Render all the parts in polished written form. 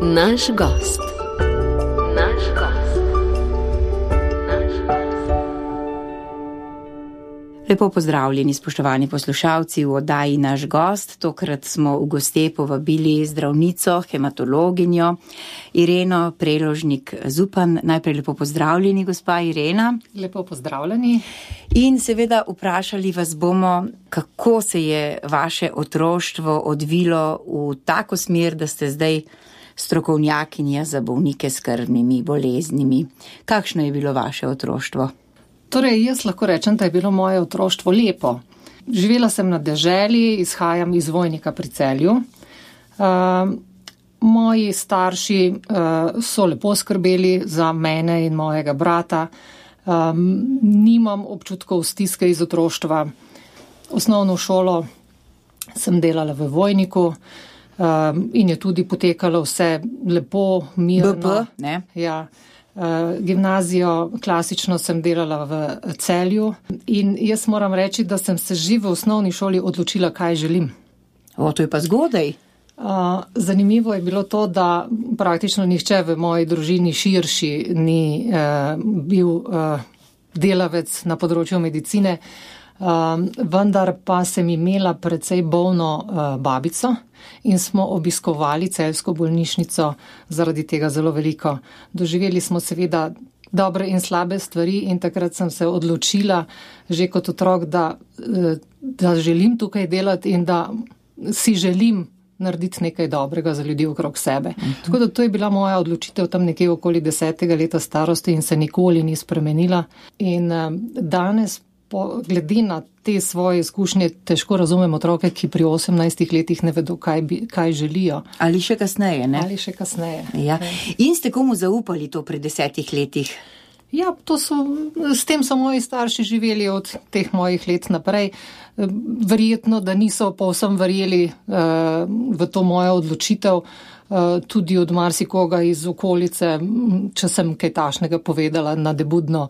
Naš gost. Lepo pozdravljeni, spoštovani poslušalci, v oddaji Naš gost. Tokrat smo v goste povabili zdravnico, hematologinjo Ireno Preložnik-Zupan. Najprej lepo pozdravljeni, gospa Irena. Lepo pozdravljeni. In seveda vprašali vas bomo, kako se je vaše otroštvo odvilo v tako smer, da ste zdaj strokovnjakinja za bolnike s krvnimi boleznimi. Kakšno je bilo vaše otroštvo? Torej, jaz lahko rečem, da je bilo moje otroštvo lepo. Živela sem na deželi, izhajam iz Vojnika pri Celju. Moji starši so lepo skrbeli za mene in mojega brata. Nimam občutkov stiske iz otroštva. Osnovno šolo sem delala v Vojniku in je tudi potekalo vse lepo, mirno. BP, ne? Ja. Gimnazijo klasično sem delala v Celju in jaz moram reči, da sem se že v osnovni šoli odločila, kaj želim. To je pa zgodaj. Zanimivo je bilo to, da praktično nihče v moji družini širši ni bil delavec na področju medicine, vendar pa sem imela precej bolno babico in smo obiskovali celjsko bolnišnico zaradi tega zelo veliko. Doživeli smo seveda dobre in slabe stvari in takrat sem se odločila že kot otrok, da želim tukaj delati in da si želim narediti nekaj dobrega za ljudi okrog sebe. Tako da to je bila moja odločitev tam nekje okoli 10. leta starosti in se nikoli ni spremenila. In danes glede na te svoje izkušnje težko razumem otroke, ki pri 18 letih ne vedo, kaj želijo. Ali še kasneje, ne? Ali še kasneje. Ja. In ste komu zaupali to pri 10 letih? Ja, s tem so moji starši živeli od teh mojih let naprej. Verjetno, da niso povsem verjeli v to mojo odločitev, tudi od marsikoga iz okolice, če sem kaj tašnega povedala nadebudno,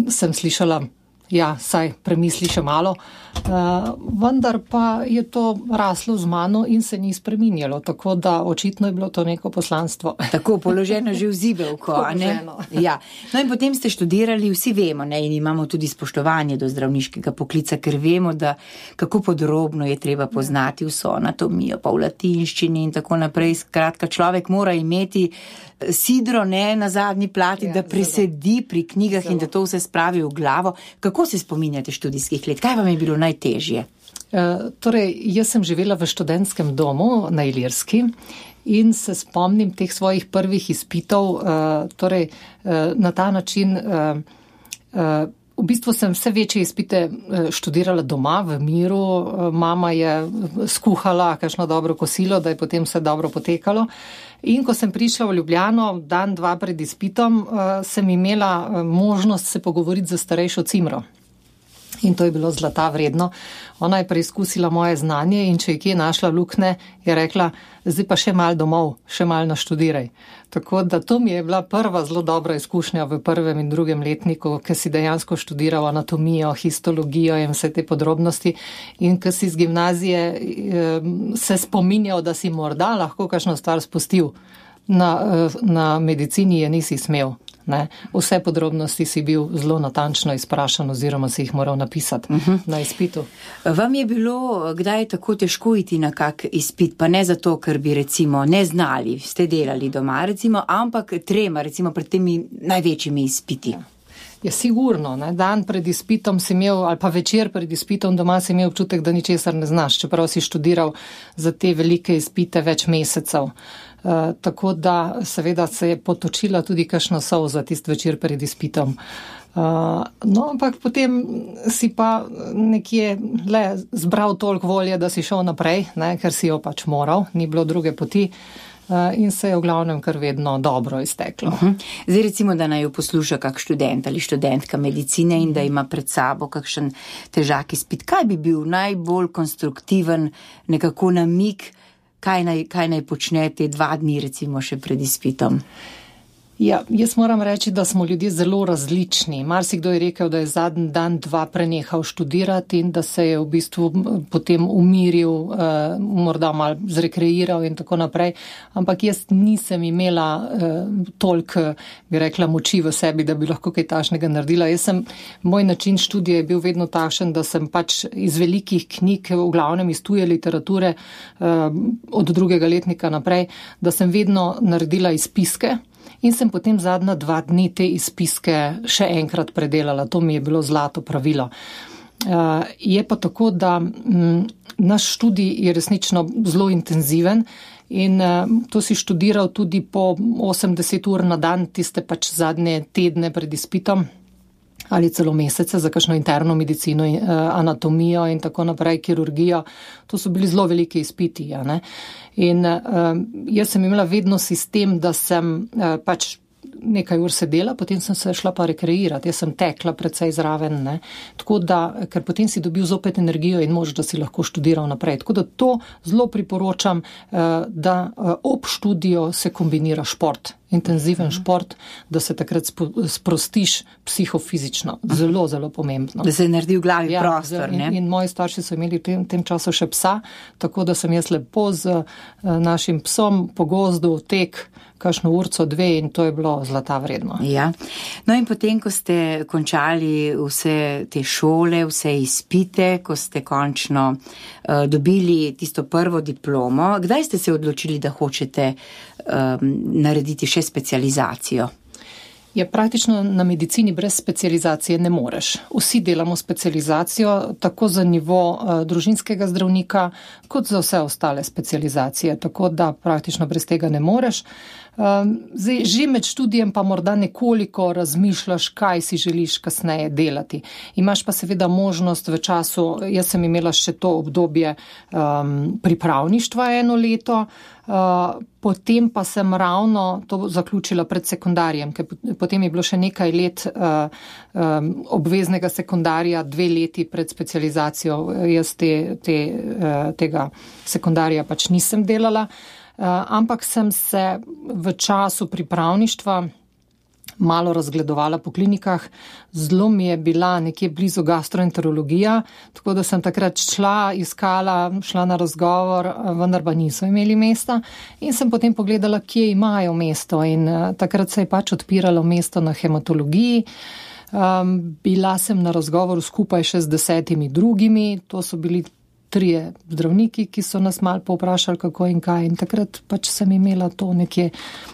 sem slišala, ja, saj premisli še malo, vendar pa je to raslo z mano in se ni spreminjalo, tako da očitno je bilo to neko poslanstvo. Tako, položeno že v zibelko, ne? Ja. No in potem ste študirali, vsi vemo, ne, in imamo tudi spoštovanje do zdravniškega poklica, ker vemo, da kako podrobno je treba poznati vso anatomijo, pa v latinščini in tako naprej. Skratka, človek mora imeti sidro, ne, na zadnji plati, da presedi pri knjigah in da to vse spravi v glavo. Kako se spominjate študijskih let? Kaj vam je bilo najtežje? Torej, jaz sem živela v študentskem domu na Ilirski in se spomnim teh svojih prvih izpitov, torej na ta način, v bistvu sem vse večje izpite študirala doma v miru, mama je skuhala kakšno dobro kosilo, da je potem vse dobro potekalo. In ko sem prišla v Ljubljano, dan, dva pred izpitom, sem imela možnost se pogovoriti za starejšo cimro. In to je bilo zlata vredno. Ona je preizkusila moje znanje in če je kje našla luknje, je rekla, zdaj pa še malo domov, še malo naštudiraj. Tako da to mi je bila prva zelo dobra izkušnja v prvem in drugem letniku, ker si dejansko študiral anatomijo, histologijo in vse te podrobnosti. In ker si z gimnazije se spominjal, da si morda lahko kakšno stvar spustil. Na medicini je nisi smel. Ne? Vse podrobnosti si bil zelo natančno izprašan oziroma si jih moral napisati na izpitu. Vam je bilo kdaj tako težko iti na kak izpit, pa ne zato, ker bi recimo ne znali, ste delali doma recimo, ampak trema recimo pred temi največjimi izpiti? Ja, sigurno. Ne? Dan pred izpitom si imel, ali pa večer pred izpitom doma si imel občutek, da ničesar ne znaš, čeprav si študiral za te velike izpite več mesecev. Tako da seveda se je potočila tudi kakšna solza tist večer pred izpitom. No, ampak potem si pa nekje zbral toliko volje, da si šel naprej, ne, ker si jo pač moral, ni bilo druge poti. In se je v glavnem kar vedno dobro izteklo. Zdaj recimo, da naj jo posluša kak študent ali študentka medicine in da ima pred sabo kakšen težak izpit. Kaj bi bil najbolj konstruktiven nekako namig, kaj naj počne te 2 dni recimo še pred izpitom? Ja, jaz moram reči, da smo ljudje zelo različni. Marsikdo je rekel, da je zadnji dan, dva prenehal študirati in da se je v bistvu potem umiril, morda malo zrekreiral in tako naprej. Ampak jaz nisem imela toliko, bi rekla, moči v sebi, da bi lahko kaj takšnega naredila. Moj način študija je bil vedno takšen, da sem pač iz velikih knjig, v glavnem iz tuje literature, od drugega letnika naprej, da sem vedno naredila izpiske. In sem potem zadnja 2 dni te izpiske še enkrat predelala. To mi je bilo zlato pravilo. Je pa tako, da naš študij je resnično zelo intenziven in to si študiral tudi po 80 ur na dan, tiste pač zadnje tedne pred izpitom ali celo mesece za kakšno interno medicino, anatomijo in tako naprej, kirurgijo. To so bili zelo veliki izpiti. Ja, ne? In jaz sem imela vedno sistem, da sem pač nekaj ur sedela, potem sem se šla pa rekreirati. Jaz sem tekla precej zraven, ne? Tako da, ker potem si dobil zopet energijo in moč, da si lahko študiral naprej. Tako da to zelo priporočam, da ob študiju se kombinira šport. Intenziven šport, da se takrat sprostiš psihofizično. Zelo, zelo pomembno. Da se naredi v glavi prostor. In moji starši so imeli v tem času še psa, tako da sem jaz lepo z našim psom po gozdu tek kakšno urco, 2 in to je bilo zlata vredno. Ja. No in potem, ko ste končali vse te šole, vse izpite, ko ste končno dobili tisto prvo diplomo, kdaj ste se odločili, da hočete narediti še specializacijo? Ja, praktično na medicini brez specializacije ne moreš. Vsi delamo specializacijo, tako za nivo družinskega zdravnika, kot za vse ostale specializacije, tako da praktično brez tega ne moreš. Zdaj, že med študijem pa morda nekoliko razmišljaš, kaj si želiš kasneje delati. Imaš pa seveda možnost v času, jaz sem imela še to obdobje pripravništva 1 leto, potem pa sem ravno to zaključila pred sekundarjem, ker potem je bilo še nekaj let obveznega sekundarja, 2 leti pred specializacijo. Jaz tega sekundarja pač nisem delala. Ampak sem se v času pripravništva malo razgledovala po klinikah. Zelo mi je bila nekje blizu gastroenterologija, tako da sem takrat šla na razgovor, vendar pa niso imeli mesta. In sem potem pogledala, kje imajo mesto in takrat se je pač odpiralo mesto na hematologiji. Bila sem na razgovoru skupaj še z 10 drugimi, to so bili 3 zdravniki, ki so nas malo povprašali, kako in kaj. In takrat pač sem imela to nekje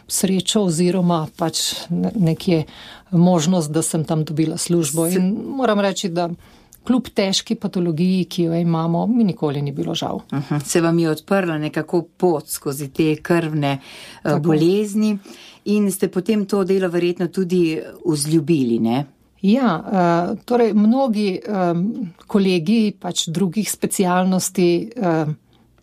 srečo oziroma pač nekje možnost, da sem tam dobila službo. In moram reči, da kljub težki patologiji, ki jo imamo, mi nikoli ni bilo žal. Se vam je odprla nekako pot skozi te krvne bolezni in ste potem to delo verjetno tudi vzljubili, ne? Ja, torej mnogi kolegi pač drugih specialnosti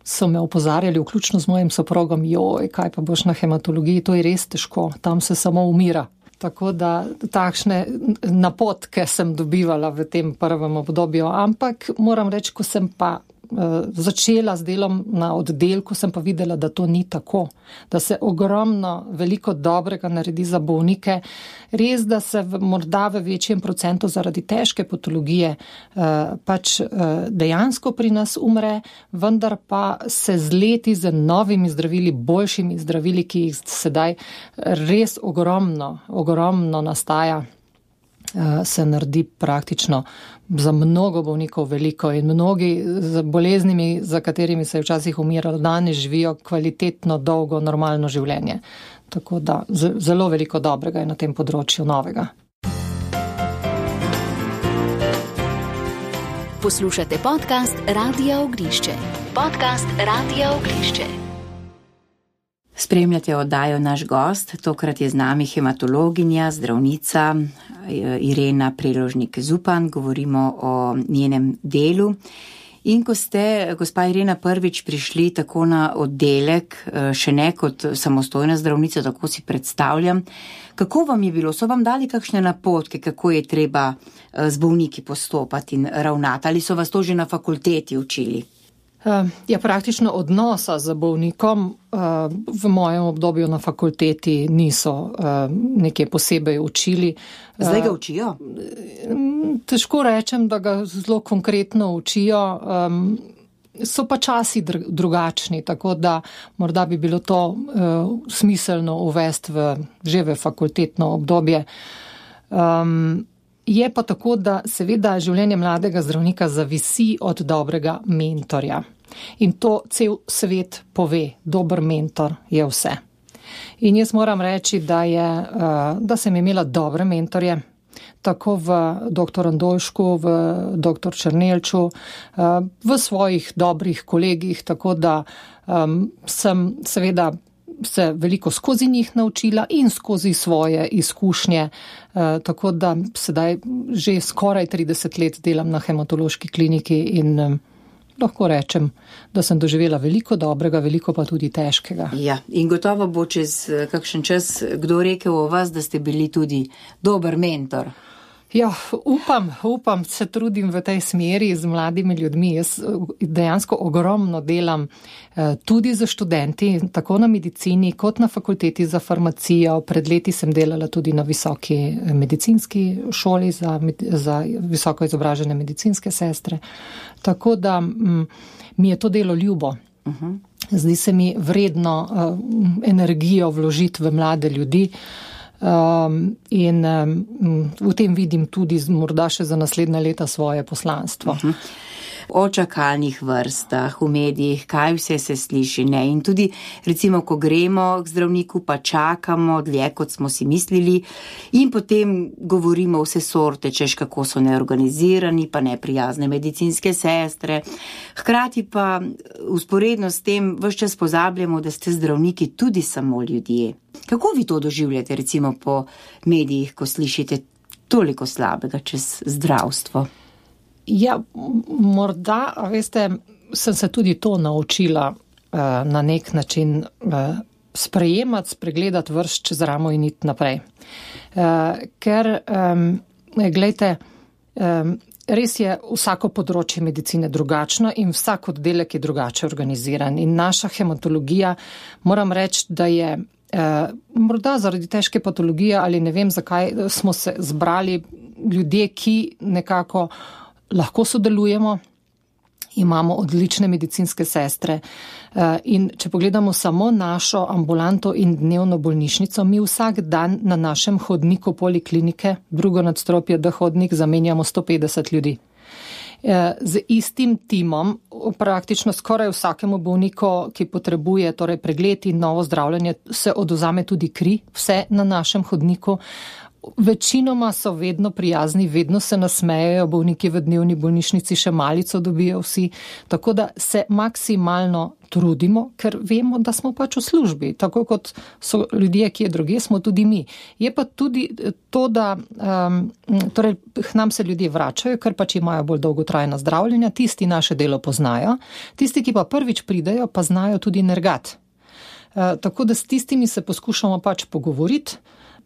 so me opozarjali, vključno z mojim soprogom, kaj pa boš na hematologiji, to je res težko, tam se samo umira. Tako da takšne napotke sem dobivala v tem prvem obdobju, ampak moram reči, ko sem pa začela z delom na oddelku, sem pa videla, da to ni tako, da se ogromno, veliko dobrega naredi za bolnike. Res, da se morda v večjem procentu zaradi težke patologije pač dejansko pri nas umre, vendar pa se z leti z novimi zdravili, boljšimi zdravili, ki jih sedaj res ogromno nastaja, se naredi praktično za mnogo bolnikov veliko in mnogi z boleznimi, za katerimi se je včasih umiralo, danes živijo kvalitetno, dolgo, normalno življenje. Tako da zelo veliko dobrega je na tem področju novega. Poslušate podcast Radia Ognišče. Podcast Radia Ognišče. Spremljate oddajo Naš gost, tokrat je z nami hematologinja, zdravnica Irena Preložnik-Zupan, govorimo o njenem delu. In ko ste, gospa Irena, prvič prišli tako na oddelek, še ne kot samostojna zdravnica, tako si predstavljam, kako vam je bilo? So vam dali kakšne napotke, kako je treba z bolniki postopati in ravnati? Ali so vas to že na fakulteti učili? Praktično odnosa z bolnikom v mojem obdobju na fakulteti niso nekaj posebej učili. Zdaj ga učijo? Težko rečem, da ga zelo konkretno učijo. So pa časi drugačni, tako da morda bi bilo to smiselno uvesti že v fakultetno obdobje. Je pa tako, da seveda življenje mladega zdravnika zavisi od dobrega mentorja. In to cel svet pove, dober mentor je vse. In jaz moram reči, da sem imela dobre mentorje, tako v dr. Andoljšku, v dr. Černelču, v svojih dobrih kolegih, tako da sem seveda se veliko skozi njih naučila in skozi svoje izkušnje, tako da sedaj že skoraj 30 let delam na hematološki kliniki in lahko rečem, da sem doživela veliko dobrega, veliko pa tudi težkega. Ja, in gotovo bo čez kakšen čas kdo rekel o vas, da ste bili tudi dober mentor. Ja, upam, se trudim v tej smeri z mladimi ljudmi. Jaz dejansko ogromno delam tudi za študenti, tako na medicini kot na fakulteti za farmacijo. Pred leti sem delala tudi na visoki medicinski šoli za visoko izobražene medicinske sestre. Tako da mi je to delo ljubo. Zdi se mi vredno energijo vložiti v mlade ljudi. In v tem vidim tudi morda še za naslednja leta svoje poslanstvo. O čakalnih vrstah, v medijih, kaj vse se sliši, ne? In tudi, recimo, ko gremo k zdravniku, pa čakamo dlje, kot smo si mislili, in potem govorimo vse sorte, češ kako so neorganizirani, pa neprijazne medicinske sestre. Hkrati pa usporedno s tem ves čas pozabljamo, da ste zdravniki tudi samo ljudje. Kako vi to doživljate, recimo, po medijih, ko slišite toliko slabega čez zdravstvo? Ja, morda, veste, sem se tudi to naučila na nek način sprejemati, spregledati vrst čez ramo in iti naprej. Ker, glejte, res je vsako področje medicine drugačno in vsak oddelek je drugače organiziran. In naša hematologija, moram reči, da je morda zaradi težke patologije ali ne vem zakaj, smo se zbrali ljudje, ki nekako lahko sodelujemo, imamo odlične medicinske sestre in če pogledamo samo našo ambulanto in dnevno bolnišnico, mi vsak dan na našem hodniku poliklinike, drugo nadstropje D-hodnik, zamenjamo 150 ljudi. Z istim timom praktično skoraj vsakemu bolniku, ki potrebuje torej pregled in novo zdravljenje, se odvzame tudi kri, vse na našem hodniku. Večinoma so vedno prijazni, vedno se nasmejejo, bolniki v dnevni bolnišnici še malico dobijo vsi, tako da se maksimalno trudimo, ker vemo, da smo pač v službi, tako kot so ljudje, ki je druge, smo tudi mi. Je pa tudi to, da torej k nam se ljudje vračajo, ker pač imajo bolj dolgotrajna zdravljenja, tisti naše delo poznajo, tisti, ki pa prvič pridejo, pa znajo tudi nergati. Tako da s tistimi se poskušamo pač pogovoriti,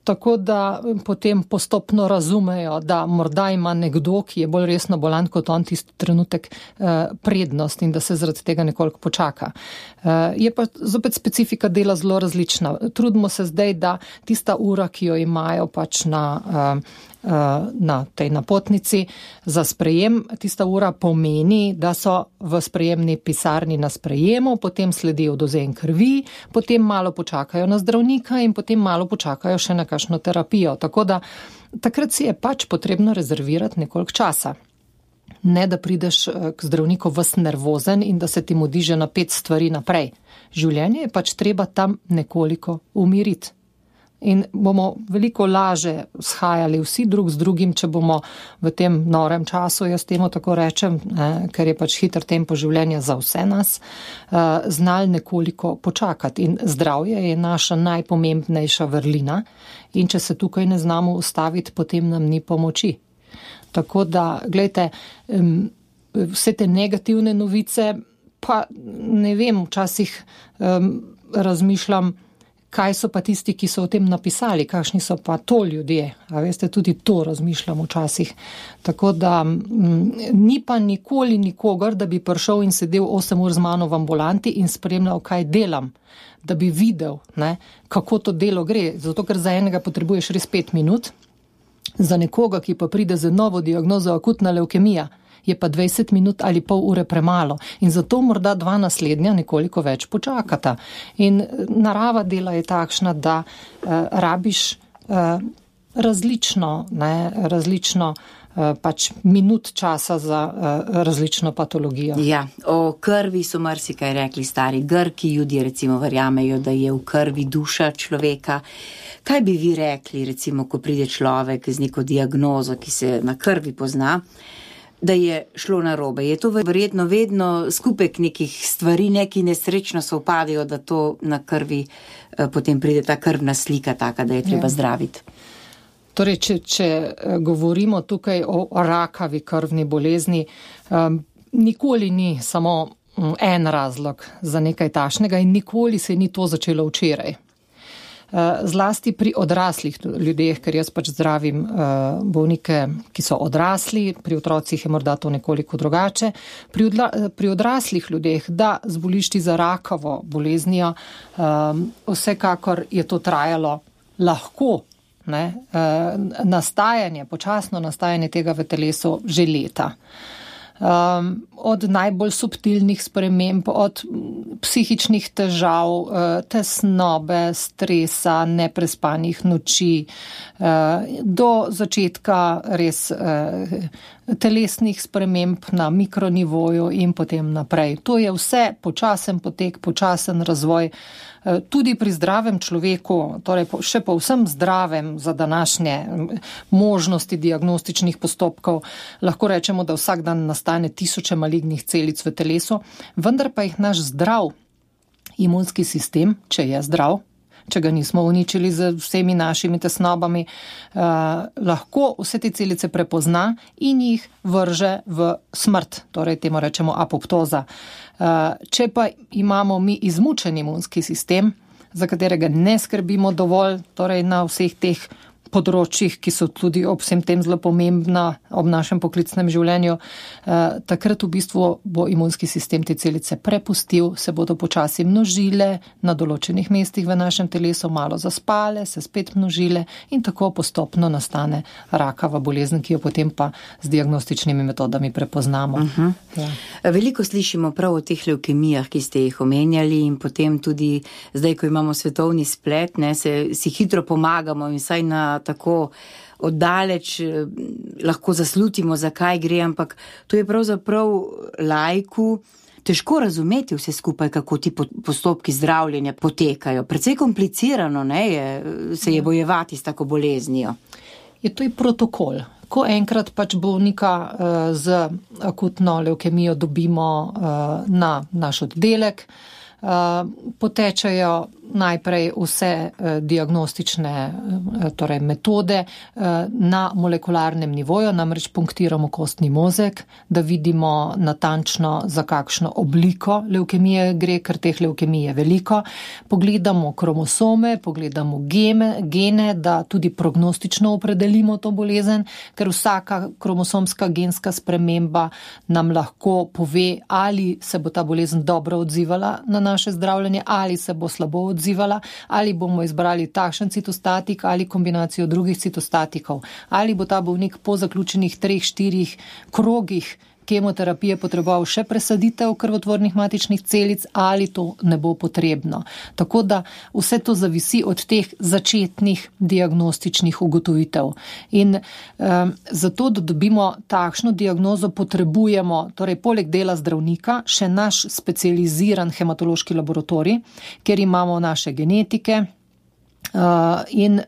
tako da potem postopno razumejo, da morda ima nekdo, ki je bolj resno bolan kot on tisti trenutek, prednost in da se zaradi tega nekoliko počaka. Je pa zopet specifika dela zelo različna. Trudimo se zdaj, da tista ura, ki jo imajo pač na tej napotnici za sprejem, tista ura pomeni, da so v sprejemni pisarni na sprejemu, potem sledi odvzem krvi, potem malo počakajo na zdravnika in potem malo počakajo še na kakšno terapijo. Tako da takrat si je pač potrebno rezervirati nekoliko časa. Ne, da prideš k zdravniku ves nervozen in da se ti mudi že na 5 stvari naprej. Življenje je pač treba tam nekoliko umiriti. In bomo veliko laže shajali vsi drug z drugim, če bomo v tem norem času, jaz temu tako rečem, ker je pač hiter tempo življenja za vse nas, znali nekoliko počakati. In zdravje je naša najpomembnejša vrlina in če se tukaj ne znamo ustaviti, potem nam ni pomoči. Tako da, gledajte, vse te negativne novice, pa ne vem, včasih razmišljam, kaj so pa tisti, ki so o tem napisali, kakšni so pa to ljudje. A veste, tudi to razmišljam včasih. Tako da ni pa nikoli nikogar, da bi prišel in sedel 8 ur z mano v ambulanti in spremljal, kaj delam, da bi videl, ne, kako to delo gre. Zato, ker za enega potrebuješ res 5 minut, za nekoga, ki pa pride z novo diagnozo akutna levkemija, je pa 20 minut ali pol ure premalo. In zato morda 2 naslednja nekoliko več počakata. In narava dela je takšna, da rabiš različno pač minut časa za različno patologijo. Ja, o krvi so marsikaj rekli stari Grki, Judje recimo verjamejo, da je v krvi duša človeka. Kaj bi vi rekli, recimo, ko pride človek z neko diagnozo, ki se na krvi pozna, da je šlo narobe? Je to verjetno vedno skupek nekih stvari, neki nesrečno se upadajo, da to na krvi potem pride ta krvna slika taka, da je treba zdraviti? Torej, če govorimo tukaj o rakavi krvni bolezni, nikoli ni samo en razlog za nekaj takšnega in nikoli se ni to začelo včeraj. Zlasti pri odraslih ljudeh, ker jaz pač zdravim bolnike, ki so odrasli, pri otrocih je morda to nekoliko drugače. Pri odraslih ljudeh, da zboliš ti za rakavo boleznijo, vsekakor je to trajalo lahko, ne, počasno nastajanje tega v telesu že leta. Od najbolj subtilnih sprememb, od psihičnih težav, tesnobe, stresa, neprespanih noči, do začetka res telesnih sprememb na mikronivoju in potem naprej. To je vse počasen potek, počasen razvoj. Tudi pri zdravem človeku, torej še povsem zdravem za današnje možnosti diagnostičnih postopkov, lahko rečemo, da vsak dan nastane 1000 malignih celic v telesu, vendar pa jih naš zdrav imunski sistem, če je zdrav, če ga nismo uničili z vsemi našimi tesnobami, lahko vse te celice prepozna in jih vrže v smrt, torej temu rečemo apoptoza. Če pa imamo mi izmučen imunski sistem, za katerega ne skrbimo dovolj, torej na vseh teh področjih, ki so tudi ob vsem tem zelo pomembna ob našem poklicnem življenju, takrat v bistvu bo imunski sistem te celice prepustil, se bodo počasi množile na določenih mestih v našem telesu, malo zaspale, se spet množile in tako postopno nastane rakava bolezen, ki jo potem pa z diagnostičnimi metodami prepoznamo. Ja. Veliko slišimo prav o teh levkemijah, ki ste jih omenjali, in potem tudi zdaj, ko imamo svetovni splet, ne, si hitro pomagamo in saj na tako oddaleč lahko zaslutimo, zakaj gre, ampak to je pravzaprav laiku težko razumeti vse skupaj, kako ti postopki zdravljenja potekajo. Precej komplicirano, ne, se je bojevati s tako boleznijo. Je to je protokol. Ko enkrat pač bolnika z akutno levkemijo dobimo na naš oddelek, potečajo najprej vse diagnostične torej metode na molekularnem nivoju, namreč punktiramo kostni mozek, da vidimo natančno, za kakšno obliko levkemije gre, ker teh levkemij je veliko. Pogledamo kromosome, pogledamo gene, da tudi prognostično opredelimo to bolezen, ker vsaka kromosomska genska sprememba nam lahko pove, ali se bo ta bolezen dobro odzivala na naše zdravljenje, ali se bo slabo odzivala, ali bomo izbrali takšen citostatik ali kombinacijo drugih citostatikov, ali bo ta bolnik po zaključenih 3-4 krogih kemoterapije potreboval še presaditev krvotvornih matičnih celic, ali to ne bo potrebno. Tako da vse to zavisi od teh začetnih diagnostičnih ugotovitev. In zato, da dobimo takšno diagnozo, potrebujemo, torej poleg dela zdravnika, še naš specializiran hematološki laboratorij, kjer imamo naše genetike, in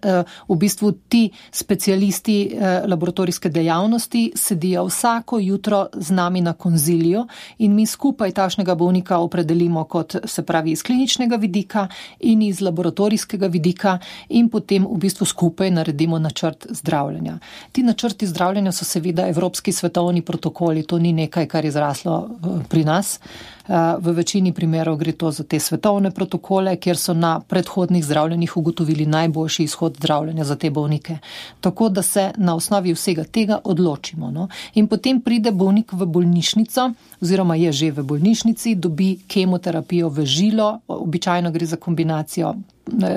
v bistvu ti specialisti laboratorijske dejavnosti sedijo vsako jutro z nami na konziliju in mi skupaj takšnega bolnika opredelimo kot, se pravi, iz kliničnega vidika in iz laboratorijskega vidika in potem v bistvu skupaj naredimo načrt zdravljenja. Ti načrti zdravljenja so seveda evropski svetovni protokoli, to ni nekaj, kar je zraslo pri nas. V večini primerov gre to za te svetovne protokole, kjer so na predhodnih zdravljenjih ugotovili najboljši izhod zdravljenja za te bolnike. Tako da se na osnovi vsega tega odločimo. No? In potem pride bolnik v bolnišnico, oziroma je že v bolnišnici, dobi kemoterapijo v žilo, običajno gre za kombinacijo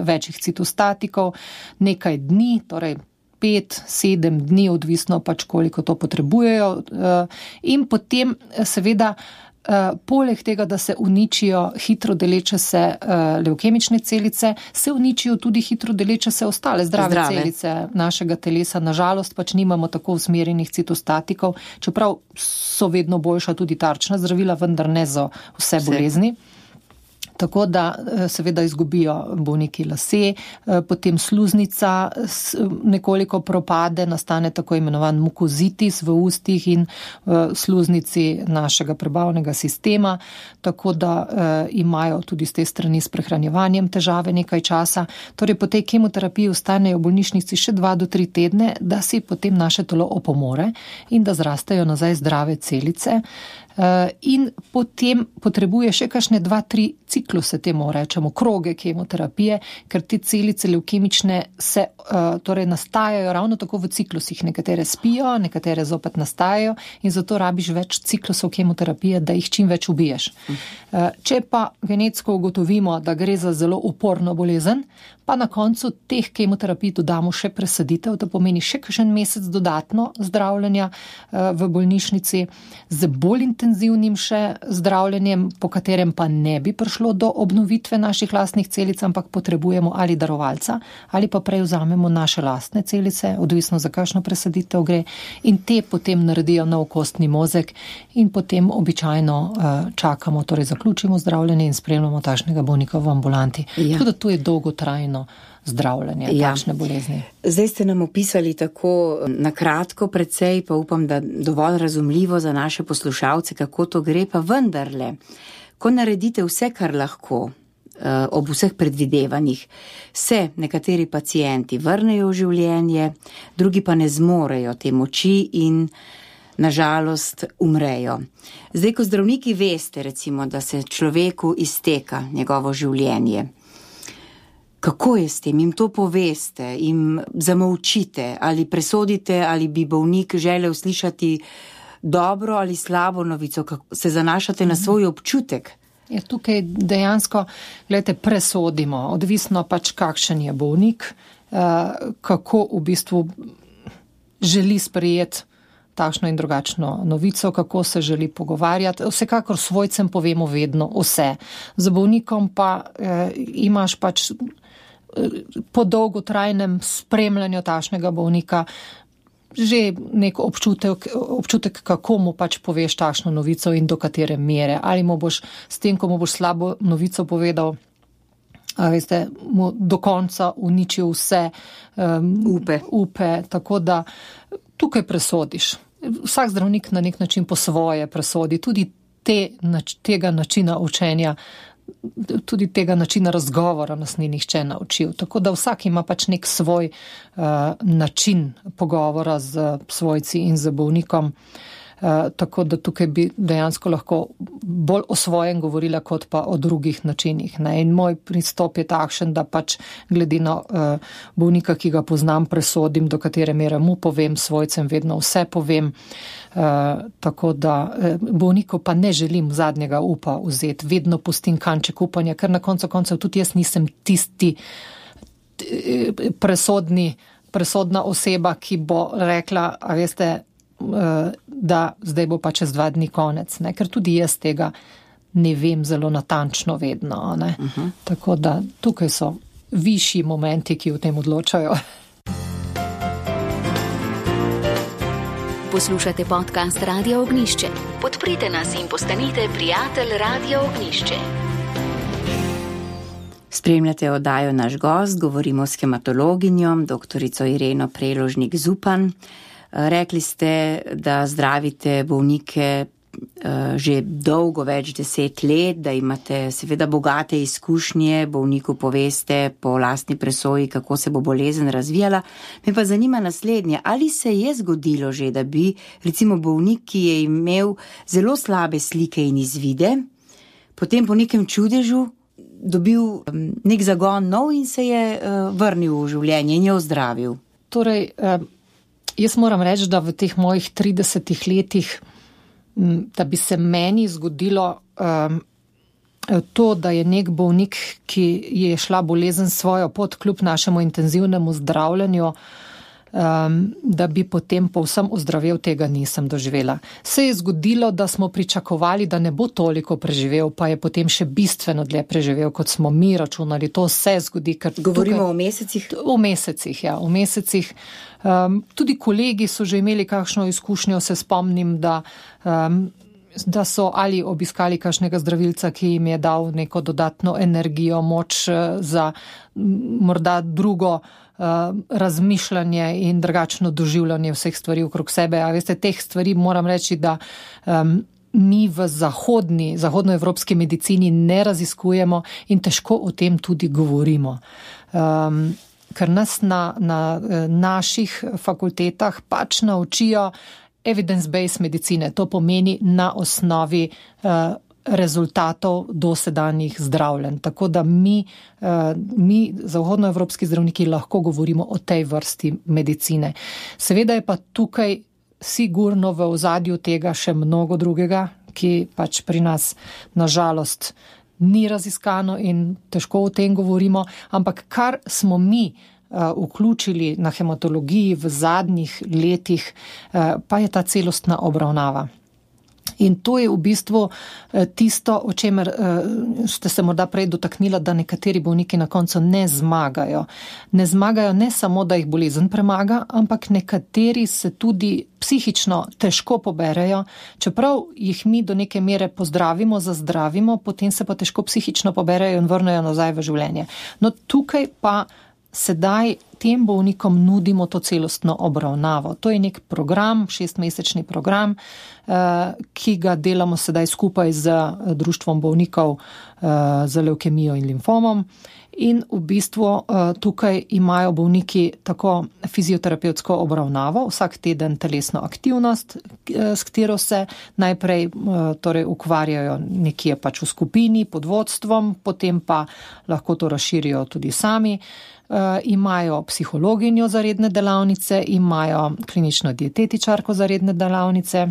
večjih citostatikov, nekaj dni, torej 5-7 dni, odvisno pač koliko to potrebujejo. In potem seveda poleg tega, da se uničijo hitro deleče se levkemične celice, se uničijo tudi hitro deleče se ostale zdrave celice našega telesa. Nažalost pač nimamo tako usmerjenih citostatikov, čeprav so vedno boljša tudi tarčna zdravila, vendar ne za vse bolezni. Tako da seveda izgubijo bolniki lase, potem sluznica nekoliko propade, nastane tako imenovan mukozitis v ustih in sluznici našega prebavnega sistema, tako da imajo tudi z te strani s prehranjevanjem težave nekaj časa. Torej po tej kemoterapiji ostanejo v bolnišnici še 2 do 3 tedne, da si potem naše telo opomore in da zrastejo nazaj zdrave celice. In potem potrebuje še kakšne 2-3 cikluse, temu rečemo, kroge kemoterapije, ker te celice levkemične se torej nastajajo ravno tako v ciklusih. Nekatere spijo, nekatere zopet nastajajo in zato rabiš več ciklusov kemoterapije, da jih čim več ubiješ. Če pa genetsko ugotovimo, da gre za zelo uporno bolezen, pa na koncu teh kemoterapij dodamo še presaditev, to pomeni še kakšen mesec dodatno zdravljenja v bolnišnici z bolj intenzivnim še zdravljenjem, po katerem pa ne bi prišlo do obnovitve naših lastnih celic, ampak potrebujemo ali darovalca, ali pa prej vzamemo naše lastne celice, odvisno za kakšno presaditev gre, in te potem naredijo nov kostni mozek in potem običajno čakamo, torej zaključimo zdravljenje in spremljamo takšnega bolnika v ambulanti. Ja. Tako da to je dolgotrajno zdravljenje takšne bolezni. Zdaj ste nam opisali tako na kratko precej, pa upam, da dovolj razumljivo za naše poslušalce, kako to gre, pa vendarle, ko naredite vse, kar lahko, ob vseh predvidevanjih, se nekateri pacienti vrnejo v življenje, drugi pa ne zmorejo te moči in nažalost umrejo. Zdaj, ko zdravniki veste, recimo, da se človeku izteka njegovo življenje, kako je s tem? Jim to poveste, jim zamolčite ali presodite, ali bi bolnik želel slišati dobro ali slabo novico, kako se zanašate na svoj občutek? Ja, tukaj dejansko, gledajte, presodimo, odvisno pač kakšen je bolnik, kako v bistvu želi sprejeti takšno in drugačno novico, kako se želi pogovarjati. Vsekakor svojcem povemo vedno vse. Z bolnikom pa imaš pač po dolgotrajnem spremljanju takšnega bolnika že nek občutek, kako mu pač poveš takšno novico in do katere mere. Ali mu boš s tem, ko mu boš slabo novico povedal, veste, mu do konca uničil vse upe. Tako da tukaj presodiš. Vsak zdravnik na nek način po svoje presodi, tudi tega načina učenja, tudi tega načina razgovora nas ni nihče naučil. Tako da vsak ima pač nek svoj način pogovora z svojci in z bolnikom. Tako da tukaj bi dejansko lahko bolj o svojem govorila, kot pa o drugih načinih. In moj pristop je takšen, da pač glede na bolnika, ki ga poznam, presodim, do katere mere mu povem, svojcem vedno vse povem. Tako da bolniku pa ne želim zadnjega upa vzeti, vedno pustim kanček upanja, ker na koncu koncev tudi jaz nisem tisti presodna oseba, ki bo rekla, a veste, da zdaj bo pa čez 2 dni konec, ne? Ker tudi jaz tega ne vem zelo natančno vedno. Ne? Tako da tukaj so višji momenti, ki v tem odločajo. Poslušate podcast Radia Ognjišče. Podprite nas in postanite prijatelj Radia Ognjišče. Spremljate oddajo Naš gost, govorimo s hematologinjo, doktorico Ireno Preložnik Zupan. Rekli ste, da zdravite bolnike že dolgo, več 10 let, da imate seveda bogate izkušnje, bolniku poveste po lastni presoji, kako se bo bolezen razvijala. Me pa zanima naslednje, ali se je zgodilo že, da bi recimo bolnik, ki je imel zelo slabe slike in izvide, potem po nekem čudežu dobil nek zagon nov in se je vrnil v življenje in je ozdravil. Torej, jaz moram reči, da v teh mojih 30 letih, da bi se meni zgodilo to, da je nek bolnik, ki je šla bolezen svojo pot kljub našemu intenzivnemu zdravljenju, da bi potem povsem ozdravel, tega nisem doživela. Se je zgodilo, da smo pričakovali, da ne bo toliko preživel, pa je potem še bistveno dlje preživel, kot smo mi računali. To se zgodi. Govorimo o mesecih? O mesecih, ja. O mesecih. Tudi kolegi so že imeli kakšno izkušnjo, se spomnim, da so ali obiskali kakšnega zdravilca, ki jim je dal neko dodatno energijo, moč za morda drugo razmišljanje in drugačno doživljanje vseh stvari okrog sebe. A veste, teh stvari moram reči, da mi v zahodnoevropski medicini ne raziskujemo in težko o tem tudi govorimo. Ker nas na naših fakultetah pač naučijo evidence-based medicine. To pomeni na osnovi rezultatov dosedanjih zdravljenj. Tako da mi zahodnoevropski zdravniki lahko govorimo o tej vrsti medicine. Seveda je pa tukaj sigurno v ozadju tega še mnogo drugega, ki pač pri nas nažalost ni raziskano in težko o tem govorimo, ampak kar smo mi vključili na hematologiji v zadnjih letih, pa je ta celostna obravnava. In to je v bistvu tisto, o čemer ste se morda prej dotaknila, da nekateri bolniki na koncu ne zmagajo. Ne zmagajo ne samo, da jih bolezen premaga, ampak nekateri se tudi psihično težko poberejo, čeprav jih mi do neke mere pozdravimo, zazdravimo, potem se pa težko psihično poberejo in vrnejo nazaj v življenje. No, tukaj pa sedaj tem bolnikom nudimo to celostno obravnavo. To je nek program, 6-mesečni program, ki ga delamo sedaj skupaj z Društvom bolnikov z levkemijo in limfomom. In v bistvu tukaj imajo bolniki tako fizioterapevtsko obravnavo, vsak teden telesno aktivnost, s katero se najprej torej ukvarjajo nekje pač v skupini pod vodstvom, potem pa lahko to razširijo tudi sami. Imajo psihologinjo za redne delavnice, imajo klinično dietetičarko za redne delavnice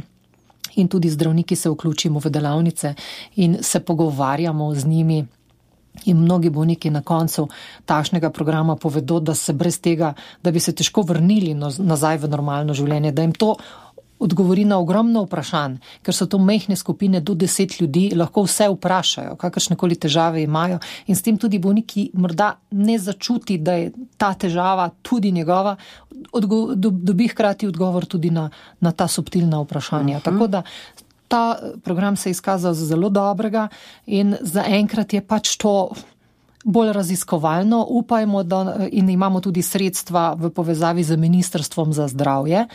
in tudi zdravniki se vključimo v delavnice in se pogovarjamo z njimi. In mnogi bolniki na koncu takšnega programa povedo, da se brez tega, da bi se težko vrnili nazaj v normalno življenje, da jim to odgovori na ogromno vprašanj, ker so to majhne skupine do 10 ljudi, lahko vse vprašajo, kakršnekoli težave imajo in s tem tudi bolniki morda ne začuti, da je ta težava tudi njegova, dobi hkrati odgovor tudi na ta subtilna vprašanja. Tako da ta program se je izkazal za zelo dobrega in zaenkrat je pač to bolj raziskovalno. Upajmo, da in imamo tudi sredstva v povezavi z Ministrstvom za zdravje.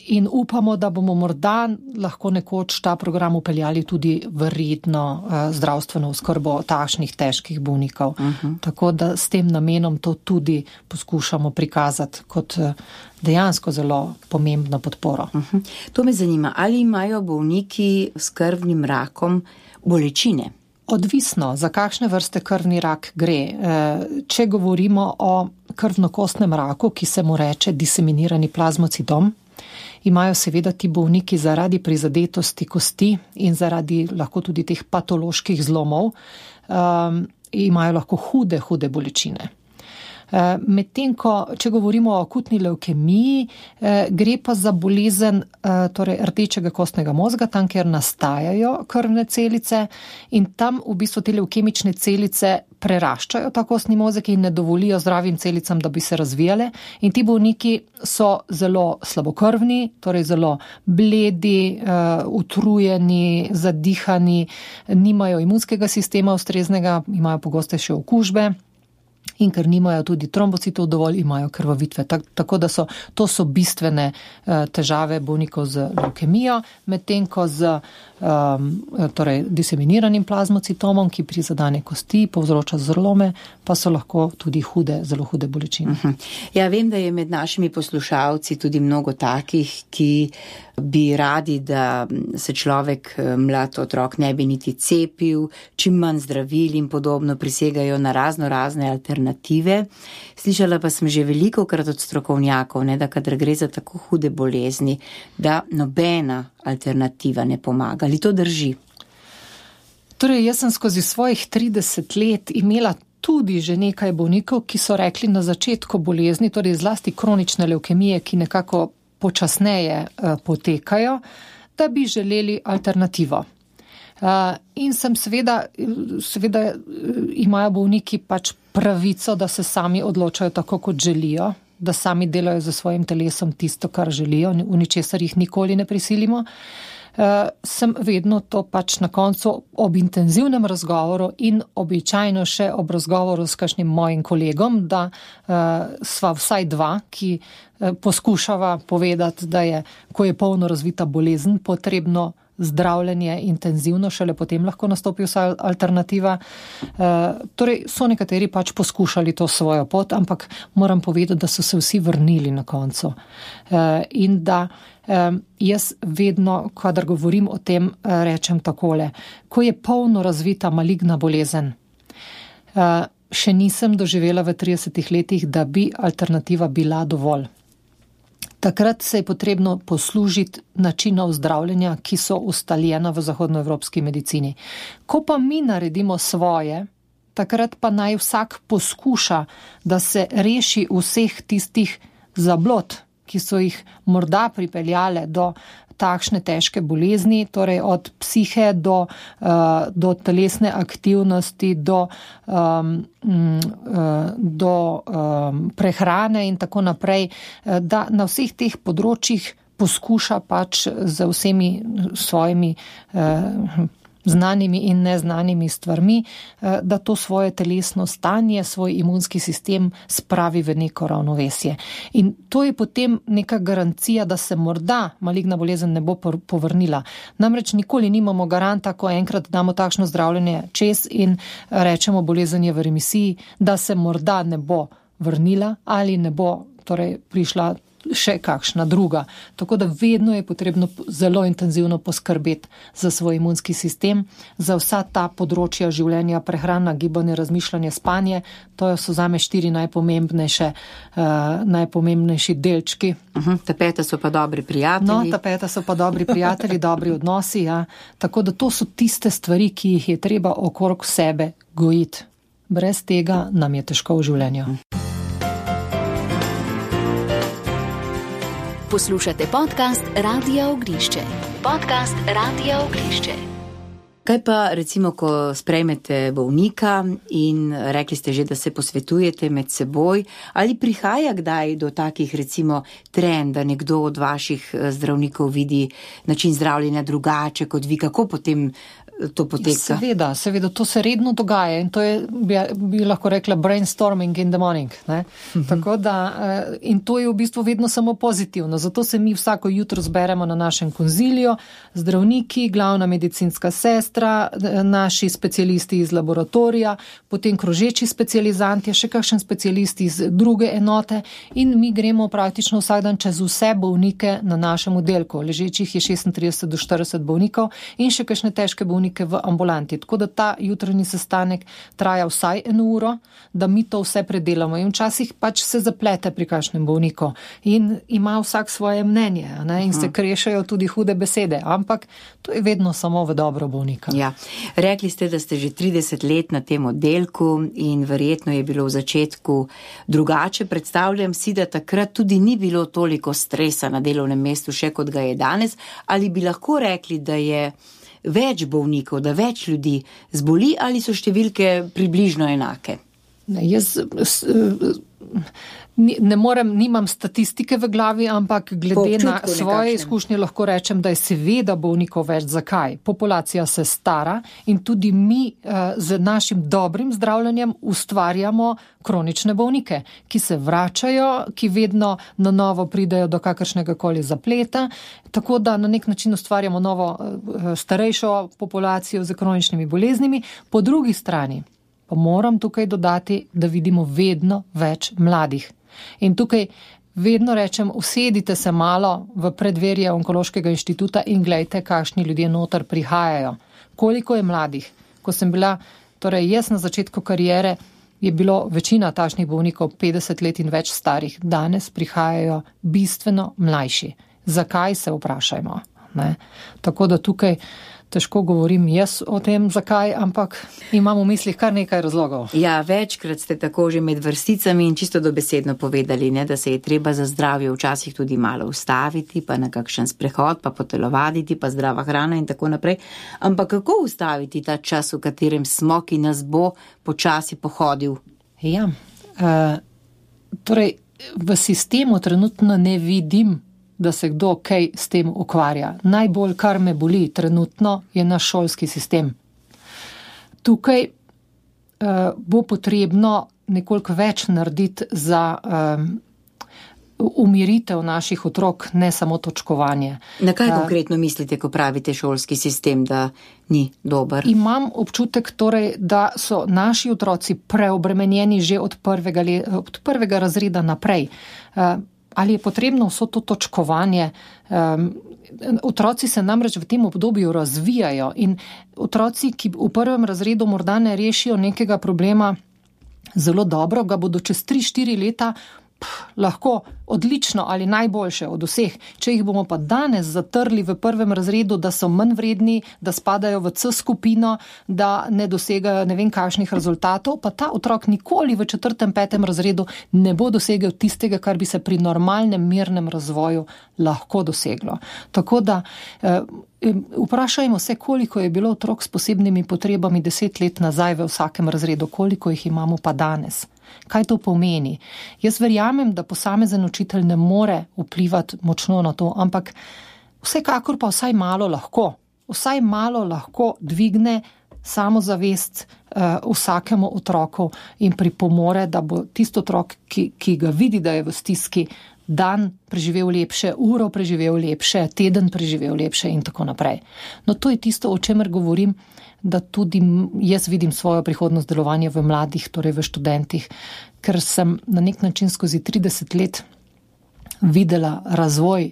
In upamo, da bomo morda lahko nekoč ta program upeljali tudi v redno zdravstveno oskrbo takšnih težkih bolnikov. Tako da s tem namenom to tudi poskušamo prikazati kot dejansko zelo pomembno podporo. To me zanima, ali imajo bolniki s krvnim rakom bolečine? Odvisno, za kakšne vrste krvni rak gre. Če govorimo o krvnokostnem raku, ki se mu reče diseminirani plazmocidom, imajo seveda ti bolniki zaradi prizadetosti kosti in zaradi lahko tudi teh patoloških zlomov, imajo lahko hude bolečine. Medtem ko, če govorimo o akutni levkemiji, gre pa za bolezen torej rdečega kostnega mozga, tam, kjer nastajajo krvne celice in tam v bistvu te levkemične celice preraščajo ta kostni mozek in ne dovolijo zdravim celicam, da bi se razvijale. In ti bolniki so zelo slabokrvni, torej zelo bledi, utrujeni, zadihani, nimajo imunskega sistema ustreznega, imajo pogostejše okužbe. in ker nimajo tudi trombocitov dovolj, imajo krvavitve. Tako da to so bistvene težave bolnikov z levkemijo, medtem ko z torej diseminiranim plazmocitomom, ki prizadene kosti, povzroča zlome, pa so lahko tudi zelo hude bolečine. Ja, vem, da je med našimi poslušalci tudi mnogo takih, ki bi radi, da se človek, mlad otrok, ne bi niti cepil, čim manj zdravil in podobno, prisegajo na razne alternative. Slišala pa sem že velikokrat od strokovnjakov, da kadar gre za tako hude bolezni, da nobena alternativa ne pomaga. Ali to drži? Torej, jaz sem skozi svojih 30 let imela tudi že nekaj bolnikov, ki so rekli na začetku bolezni, torej zlasti kronične levkemije, ki nekako počasneje potekajo, da bi želeli alternativo. In sem seveda imajo bolniki pač pravico, da se sami odločajo tako, kot želijo, da sami delajo za svojim telesom tisto, kar želijo, v ničesar jih nikoli ne prisilimo. Sem vedno to pač na koncu ob intenzivnem razgovoru in običajno še ob razgovoru s kakšnim mojim kolegom, da sva vsaj dva, ki poskušava povedati, da je, ko je polno razvita bolezen, potrebno zdravljenje intenzivno, šele potem lahko nastopi vsa alternativa. Torej so nekateri pač poskušali to svojo pot, ampak moram povedati, da so se vsi vrnili na koncu. In da jaz vedno, kadar govorim o tem, rečem takole. Ko je polno razvita maligna bolezen, še nisem doživela v 30 letih, da bi alternativa bila dovolj. Takrat se je potrebno poslužiti načinov zdravljenja, ki so ustaljena v zahodnoevropski medicini. Ko pa mi naredimo svoje, takrat pa naj vsak poskuša, da se reši vseh tistih zablod, ki so jih morda pripeljale do takšne težke bolezni, torej od psihe do telesne aktivnosti, do prehrane in tako naprej, da na vseh teh področjih poskuša pač z vsemi svojimi znanimi in neznanimi stvarmi, da to svoje telesno stanje, svoj imunski sistem spravi v neko ravnovesje. In to je potem neka garancija, da se morda maligna bolezen ne bo povrnila. Namreč nikoli nimamo garanta, ko enkrat damo takšno zdravljenje čez in rečemo, bolezen je v remisiji, da se morda ne bo vrnila ali ne bo torej prišla še kakšna druga. Tako da vedno je potrebno zelo intenzivno poskrbeti za svoj imunski sistem, za vsa ta področja življenja, prehrana, gibanje, razmišljanje, spanje. To so zame 4 najpomembnejši delčki. Tapeta so pa dobri prijatelji. No, tapeta so pa dobri prijatelji, dobri odnosi, ja. Tako da to so tiste stvari, ki jih je treba okrog sebe gojiti. Brez tega nam je težko v življenju. Poslušate podcast Radia Ognjišče. Podcast Radia Ognjišče. Kaj pa recimo, ko sprejmete bolnika in rekli ste že, da se posvetujete med seboj, ali prihaja kdaj do takih recimo trenj, da nekdo od vaših zdravnikov vidi način zdravljenja drugače kot vi, kako potem to poteka? Seveda, to se redno dogaja in to je, bi lahko rekla, brainstorming in the morning. Tako da, in to je v bistvu vedno samo pozitivno, zato se mi vsako jutro zberemo na našem konziliju, zdravniki, glavna medicinska sestra, naši specialisti iz laboratorija, potem krožeči specializanti, še kakšen specialisti iz druge enote in mi gremo praktično vsak dan čez vse bolnike na našem oddelku. Ležečih je 36 do 40 bolnikov in še kakšne težke bolnike v ambulanti. Tako da ta jutranji sestanek traja vsaj 1 uro, da mi to vse predelamo in včasih pač se zaplete pri kakšnem bolniku in ima vsak svoje mnenje, in se krešajo tudi hude besede, ampak to je vedno samo v dobro bolnika. Ja. Rekli ste, da ste že 30 let na tem oddelku in verjetno je bilo v začetku drugače. Predstavljam si, da takrat tudi ni bilo toliko stresa na delovnem mestu še kot ga je danes, ali bi lahko rekli, da je več bolnikov, da več ljudi zboli ali so številke približno enake? Jaz nimam statistike v glavi, ampak glede na svoje izkušnje lahko rečem, da je seveda bolnikov več. Zakaj? Populacija se stara in tudi mi z našim dobrim zdravljenjem ustvarjamo kronične bolnike, ki se vračajo, ki vedno na novo pridejo do kakršnega koli zapleta, tako da na nek način ustvarjamo novo starejšo populacijo z kroničnimi boleznimi. Po drugi strani pa moram tukaj dodati, da vidimo vedno več mladih. In tukaj vedno rečem, usedite se malo v predverje Onkološkega inštituta in gledajte, kakšni ljudje noter prihajajo. Koliko je mladih? Ko sem bila, torej jaz na začetku kariere, je bilo večina takšnih bolnikov 50 let in več starih. Danes prihajajo bistveno mlajši. Zakaj, se vprašajmo? Ne? Tako da tukaj težko govorim jaz o tem, zakaj, ampak imam v mislih kar nekaj razlogov. Ja, večkrat ste tako že med vrsticami in čisto dobesedno povedali, ne, da se je treba za zdravje včasih tudi malo ustaviti, pa na kakšen sprehod, pa potelovaditi, pa zdrava hrana in tako naprej. Ampak kako ustaviti ta čas, v katerem smo, ki nas bo počasi pohodil? Ja, torej v sistemu trenutno ne vidim, da se kdo kaj s tem ukvarja. Najbolj, kar me boli trenutno, je naš šolski sistem. Tukaj bo potrebno nekoliko več narediti za umiritev naših otrok, ne samo točkovanje. Na kaj konkretno mislite, ko pravite šolski sistem, da ni dober? Imam občutek torej, da so naši otroci preobremenjeni že od prvega razreda naprej. Ali je potrebno vso to točkovanje? Otroci se namreč v tem obdobju razvijajo in otroci, ki v prvem razredu morda ne rešijo nekega problema zelo dobro, ga bodo čez 3-4 leta lahko odlično ali najboljše od vseh. Če jih bomo pa danes zatrli v prvem razredu, da so manj vredni, da spadajo v C skupino, da ne dosegajo ne vem kakšnih rezultatov, pa ta otrok nikoli v 4., 5. razredu ne bo dosegel tistega, kar bi se pri normalnem mirnem razvoju lahko doseglo. Tako da vprašajmo se, koliko je bilo otrok s posebnimi potrebami 10 let nazaj v vsakem razredu, koliko jih imamo pa danes. Kaj to pomeni? Jaz verjamem, da posamezen učitelj ne more vplivati močno na to, ampak vsekakor pa vsaj malo lahko dvigne samozavest vsakemu otroku in pripomore, da bo tisti otrok, ki ga vidi, da je v stiski, dan preživel lepše, uro preživel lepše, teden preživel lepše in tako naprej. No, to je tisto, o čemer govorim, da tudi jaz vidim svojo prihodnost delovanja v mladih, torej v študentih, ker sem na nek način skozi 30 let videla razvoj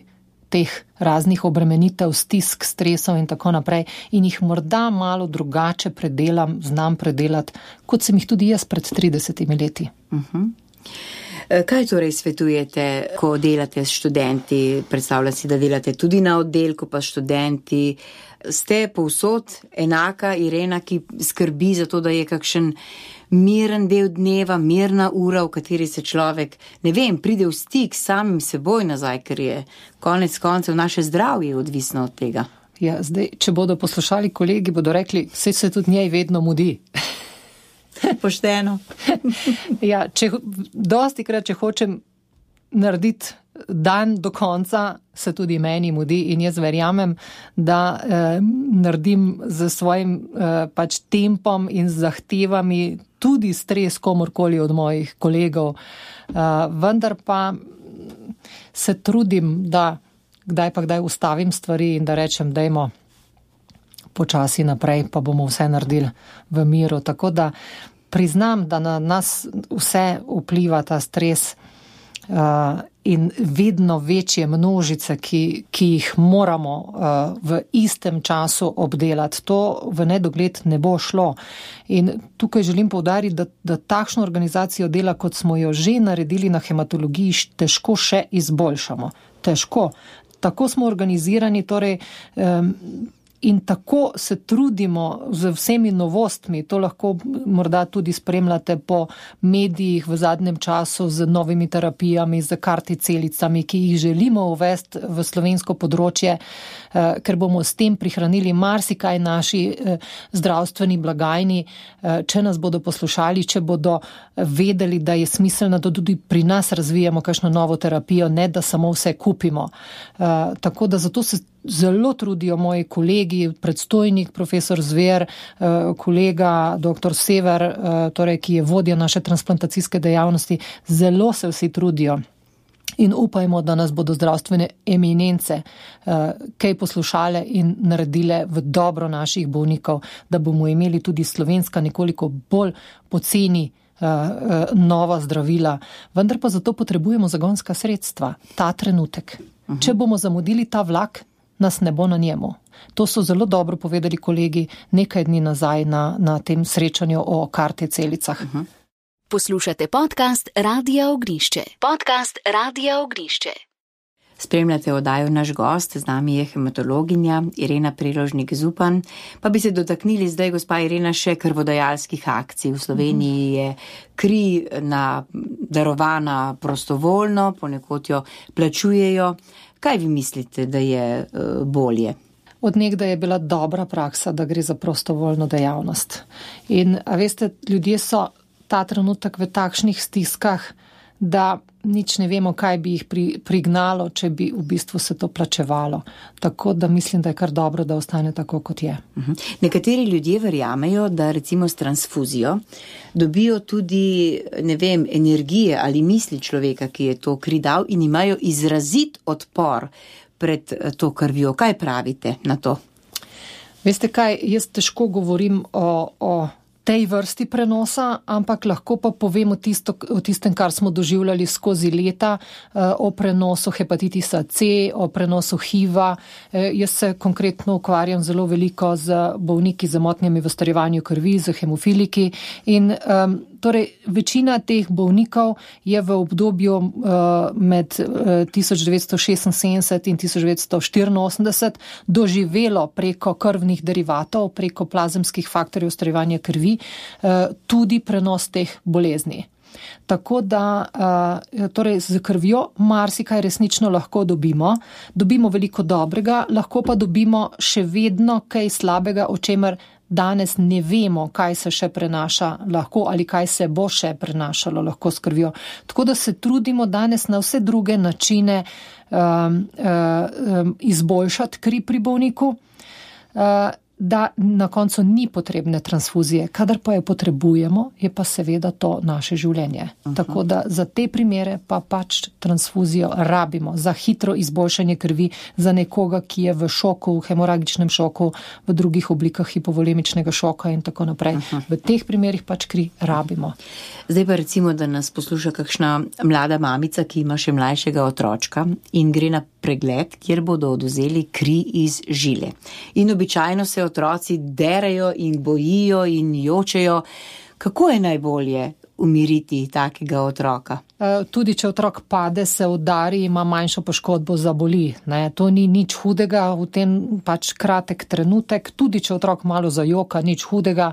teh raznih obremenitev, stisk, stresov in tako naprej in jih morda malo drugače znam predelati, kot sem jih tudi jaz pred 30 leti. Kaj torej svetujete, ko delate s študenti? Predstavljam si, da delate tudi na oddelku, pa študenti. Ste povsod enaka Irena, ki skrbi za to, da je kakšen miren del dneva, mirna ura, v kateri se človek, pride v stik s samim seboj nazaj, ker je konec koncev naše zdravje odvisno od tega. Ja, zdaj, če bodo poslušali kolegi, bodo rekli, saj se tudi njej vedno mudi. Pošteno. Ja, dostikrat, če hočem narediti dan do konca, se tudi meni mudi in jaz verjamem, da naredim z svojim tempom in zahtevami tudi stres komorkoli od mojih kolegov. Vendar pa se trudim, da kdaj ustavim stvari in da rečem, dajmo počasi naprej, pa bomo vse naredili v miru. Tako da priznam, da na nas vse vpliva ta stres in vedno večje množice, ki jih moramo v istem času obdelati. To v nedogled ne bo šlo. In tukaj želim poudariti, da takšno organizacijo dela, kot smo jo že naredili na hematologiji, težko še izboljšamo. Težko. Tako smo organizirani, torej In tako se trudimo z vsemi novostmi, to lahko morda tudi spremljate po medijih v zadnjem času z novimi terapijami, z karticelicami, ki jih želimo uvesti v slovensko področje, ker bomo s tem prihranili marsikaj naši zdravstveni blagajni, če nas bodo poslušali, če bodo vedeli, da je smiselno, da tudi pri nas razvijamo kakšno novo terapijo, ne da samo vse kupimo. Tako da zato se zelo trudijo moji kolegi, predstojnik profesor Zver, kolega dr. Sever, torej, ki je vodja naše transplantacijske dejavnosti, zelo se vsi trudijo. In upajmo, da nas bodo zdravstvene eminence kaj poslušale in naredile v dobro naših bolnikov, da bomo imeli tudi slovenska nekoliko bolj poceni nova zdravila. Vendar pa zato potrebujemo zagonska sredstva, ta trenutek. Če bomo zamudili ta vlak, nas ne bo na njemu. To so zelo dobro povedali kolegi nekaj dni nazaj na tem srečanju o karticelicah. Poslušate podcast Radia Ognišče. Podcast Radia Ognišče. Spremljate oddajo Naš gost, z nami je hematologinja Irena Preložnik Zupan. Pa bi se dotaknili zdaj, gospa Irena, še krvodajalskih akcij. V Sloveniji je kri darovana prostovoljno, ponekod jo plačujejo. Kaj vi mislite, da je bolje? Od nekdaj je bila dobra praksa, da gre za prostovoljno dejavnost. In, a veste, ljudje so ta trenutek v takšnih stiskah, da nič ne vemo, kaj bi jih prignalo, če bi v bistvu se to plačevalo. Tako da mislim, da je kar dobro, da ostane tako, kot je. Nekateri ljudje verjamejo, da recimo s transfuzijo dobijo tudi, ne vem, energije ali misli človeka, ki je to kri dal, in imajo izrazit odpor pred to krvjo. Kaj pravite na to? Veste kaj, jaz težko govorim o tej vrsti prenosa, ampak lahko pa povemo o tistem, kar smo doživljali skozi leta, o prenosu hepatitisa C, o prenosu HIV-a. Jaz se konkretno ukvarjam zelo veliko z bolniki z motnjami v starjevanju krvi, z hemofiliki in torej večina teh bolnikov je v obdobju med 1976 in 1984 doživelo preko krvnih derivatov, preko plazemskih faktorjev starjevanja krvi, tudi prenos teh bolezni. Tako da torej z krvjo marsikaj resnično lahko dobimo. Dobimo veliko dobrega, lahko pa dobimo še vedno kaj slabega, o čemer danes ne vemo, kaj se še prenaša lahko ali kaj se bo še prenašalo lahko s krvjo. Tako da se trudimo danes na vse druge načine izboljšati kri pri bolniku, da na koncu ni potrebne transfuzije. Kadar pa jo potrebujemo, je pa seveda to naše življenje. Tako da za te primere pa pač transfuzijo rabimo. Za hitro izboljšanje krvi, za nekoga, ki je v šoku, v hemoragičnem šoku, v drugih oblikah hipovolemičnega šoka in tako naprej. V teh primerih pač kri rabimo. Zdaj pa recimo, da nas posluša kakšna mlada mamica, ki ima še mlajšega otročka in gre na pregled, kjer bodo odvzeli kri iz žile. In običajno se otroci derajo in bojijo in jočejo. Kako je najbolje umiriti takega otroka? Tudi če otrok pade, se udari, ima manjšo poškodbo, zaboli. To ni nič hudega, v tem pač kratek trenutek. Tudi če otrok malo zajoka, nič hudega.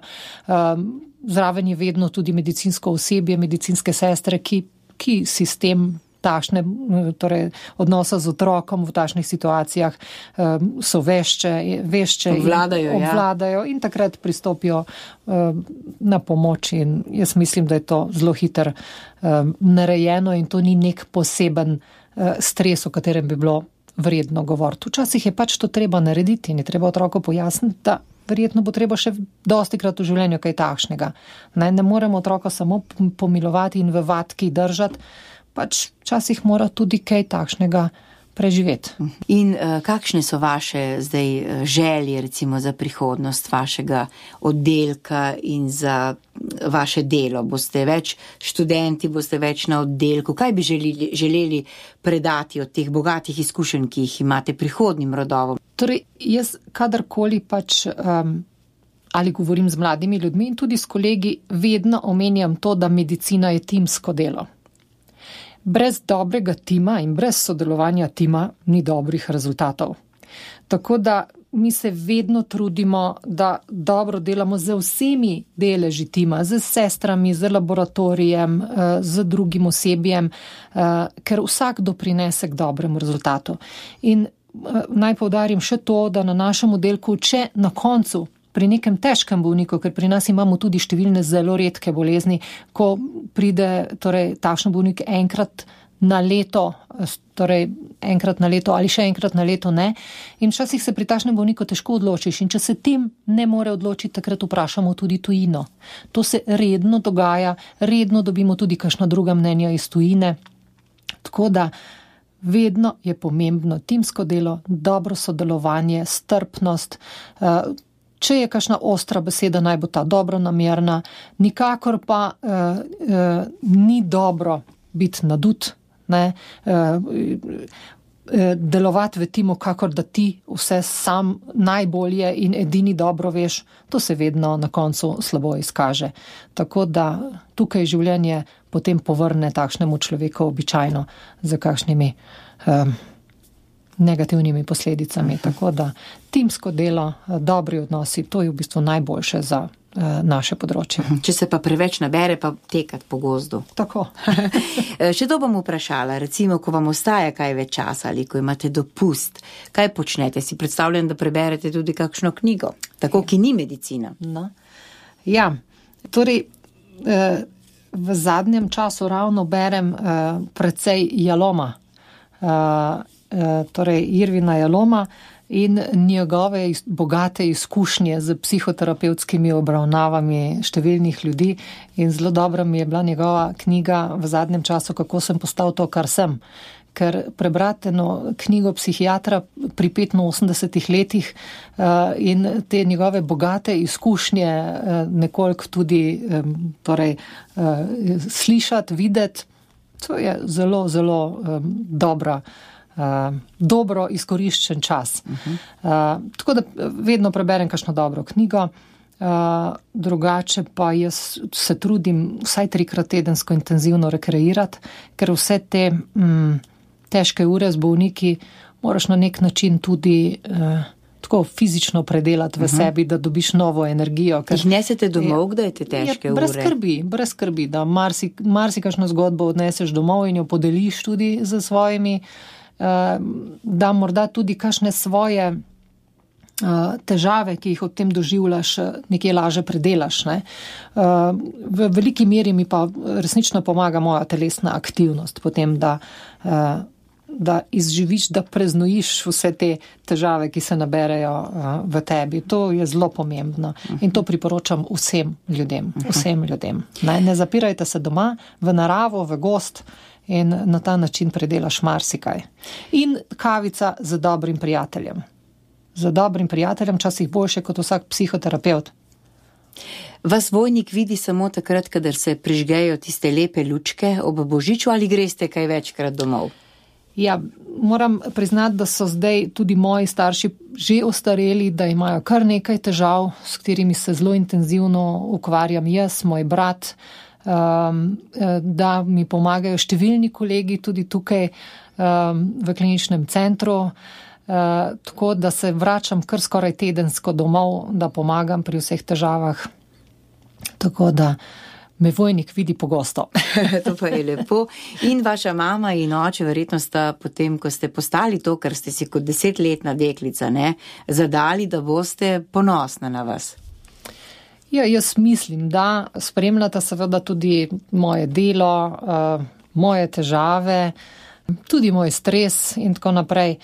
Zraven je vedno tudi medicinsko osebje, medicinske sestre, ki sistem takšne, torej odnosa z otrokom v takšnih situacijah so vešče obvladajo in takrat pristopijo na pomoč in jaz mislim, da je to zelo hitro narejeno in to ni nek poseben stres, o katerem bi bilo vredno govoriti. Včasih je pač to treba narediti in je treba otroku pojasniti, da verjetno bo treba še dostikrat v življenju kaj takšnega. Ne moremo otroka samo pomilovati in v vatki držati, pač včasih mora tudi kaj takšnega preživeti. In kakšne so vaše zdaj želje recimo za prihodnost vašega oddelka in za vaše delo? Boste več študenti, boste več na oddelku? Kaj bi želeli predati od teh bogatih izkušenj, ki jih imate prihodnjim rodovom? Torej, jaz kadarkoli pač ali govorim z mladimi ljudmi in tudi s kolegi, vedno omenjam to, da medicina je timsko delo. Brez dobrega tima in brez sodelovanja tima ni dobrih rezultatov. Tako da mi se vedno trudimo, da dobro delamo z vsemi deleži tima, z sestrami, z laboratorijem, z drugim osebjem, ker vsak doprinese k dobremu rezultatu. In naj poudarim še to, da na našem oddelku, če na koncu pri nekem težkem bolniku, ker pri nas imamo tudi številne zelo redke bolezni, ko pride takšen bolnik enkrat na leto, torej enkrat na leto ali še enkrat na leto ne. In včasih se pri takšnem bolniku težko odločiš in če se tim ne more odločiti, takrat vprašamo tudi tujino. To se redno dogaja, redno dobimo tudi kakšna druga mnenja iz tujine. Tako da vedno je pomembno timsko delo, dobro sodelovanje, strpnost. Če je kakšna ostra beseda, naj bo ta dobronamerna, nikakor pa ni dobro biti nadut, ne, delovati v timu, kakor da ti vse sam najbolje in edini dobro veš, to se vedno na koncu slabo izkaže. Tako da tukaj življenje potem povrne takšnemu človeku običajno za kakšnimi negativnimi posledicami. Tako da timsko delo, dobri odnosi, to je v bistvu najboljše za naše področje. Če se pa preveč nabere, pa tekati po gozdu. Tako. Še to bom vprašala, recimo, ko vam ostaja kaj več časa ali ko imate dopust, kaj počnete? Si predstavljam, da preberete tudi kakšno knjigo, tako, ki ni medicina. No. Ja, torej v zadnjem času ravno berem precej Jaloma, torej Irvina Jaloma in njegove bogate izkušnje z psihoterapevtskimi obravnavami številnih ljudi in zelo dobra mi je bila njegova knjiga v zadnjem času, kako sem postal to, kar sem. Ker prebrati eno knjigo psihiatra pri 85 letih in te njegove bogate izkušnje nekoliko tudi slišati, videti, to je zelo, zelo dobro izkoriščen čas. Tako da vedno preberem kakšno dobro knjigo, drugače pa jaz se trudim vsaj 3-krat tedensko intenzivno rekreirati, ker vse te težke ure z bolniki moraš na nek način tudi tako fizično predelati v sebi, da dobiš novo energijo. Jih nesete domov, kdaj te težke ure? Brez skrbi, da marsikakšno zgodbo odneseš domov in jo podeliš tudi z svojimi, da morda tudi kakšne svoje težave, ki jih od tem doživljaš, nekje laže predelaš. Ne? V veliki meri mi pa resnično pomaga moja telesna aktivnost, potem da izživiš, da preznojiš vse te težave, ki se naberejo v tebi. To je zelo pomembno in to priporočam vsem ljudem. Ne zapirajte se doma, v naravo, v gozd in na ta način predelaš marsikaj. In kavica z dobrim prijateljem. Z dobrim prijateljem, časih boljše kot vsak psihoterapevt. Vas Vojnik vidi samo takrat, kadar se prižgejo tiste lepe lučke ob božiču ali greste kaj večkrat domov? Ja, moram priznati, da so zdaj tudi moji starši že ostareli, da imajo kar nekaj težav, s katerimi se zelo intenzivno ukvarjam jaz, moj brat, da mi pomagajo številni kolegi tudi tukaj v kliničnem centru, tako da se vračam kar skoraj tedensko domov, da pomagam pri vseh težavah, tako da me Vojnik vidi pogosto. To pa je lepo. In vaša mama in oče verjetno sta potem, ko ste postali to, kar ste si kot 10-letna deklica, ne, zadali, da boste ponosna na vas. Ja, jaz mislim, da spremljata seveda tudi moje delo, moje težave, tudi moj stres in tako naprej.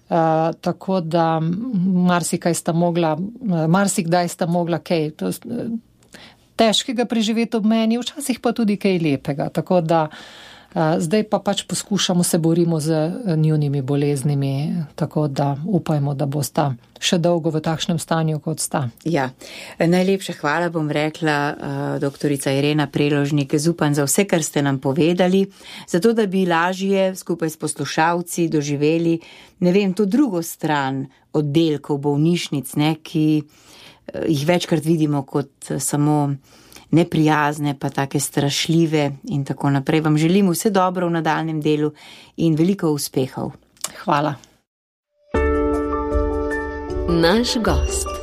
Tako da marsikdaj sta mogla kaj težkega preživeti ob meni, včasih pa tudi kaj lepega. Tako da zdaj pa pač poskušamo, se borimo z njunimi boleznimi, tako da upajmo, da bosta še dolgo v takšnem stanju, kot sta. Ja, najlepša hvala bom rekla, doktorica Irena Preložnik, zupan za vse, kar ste nam povedali, zato da bi lažje skupaj s poslušalci doživeli, ne vem, to drugo stran oddelkov bolnišnic, ne, ki jih večkrat vidimo kot samo neprijazne, pa take strašljive in tako naprej. Vam želim vse dobro v nadaljnjem delu in veliko uspehov. Hvala. Naš gost.